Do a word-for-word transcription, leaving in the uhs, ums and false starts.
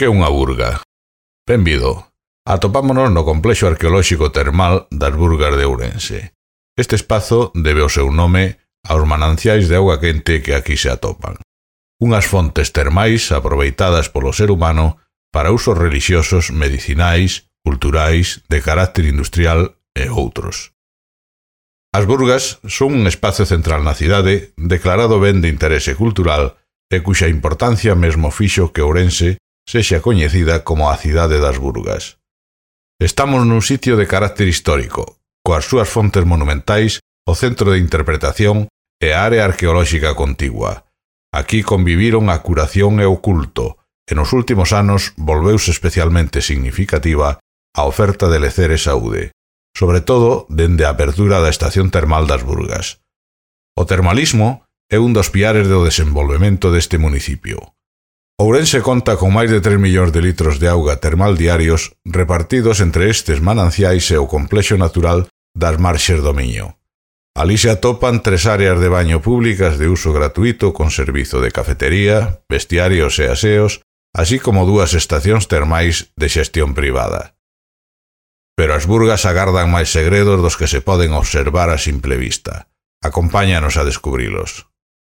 Que é unha burga? Benvido. Atopámonos no complexo arqueolóxico termal das Burgas de Ourense. Este espazo debe o seu nome aos mananciais de auga quente que aquí se atopan. Unhas fontes termais aproveitadas polo ser humano para usos relixiosos, medicinais, culturais, de carácter industrial e outros. As burgas son un espazo central na cidade declarado ben de interese cultural e cuxa importancia mesmo fixo que Ourense sexa coñecida como a cidade das burgas. Estamos nun sitio de carácter histórico, coas súas fontes monumentais, o centro de interpretación e a área arqueolóxica contigua. Aquí conviviron a curación e o culto, e nos últimos anos volveuse especialmente significativa a oferta de lecer e saúde, sobre todo dende a apertura da estación termal das Burgas. O termalismo é un dos piares do desenvolvemento deste municipio. Ourense conta con máis de tres millóns de litros de auga termal diarios repartidos entre estes mananciais e o complexo natural das Marxes do Miño. Alí se atopan tres áreas de baño públicas de uso gratuito con servizo de cafetería, vestiarios e aseos, así como dúas estacións termais de xestión privada. Pero as burgas agardan máis segredos dos que se poden observar a simple vista. Acompáñanos a descubrilos.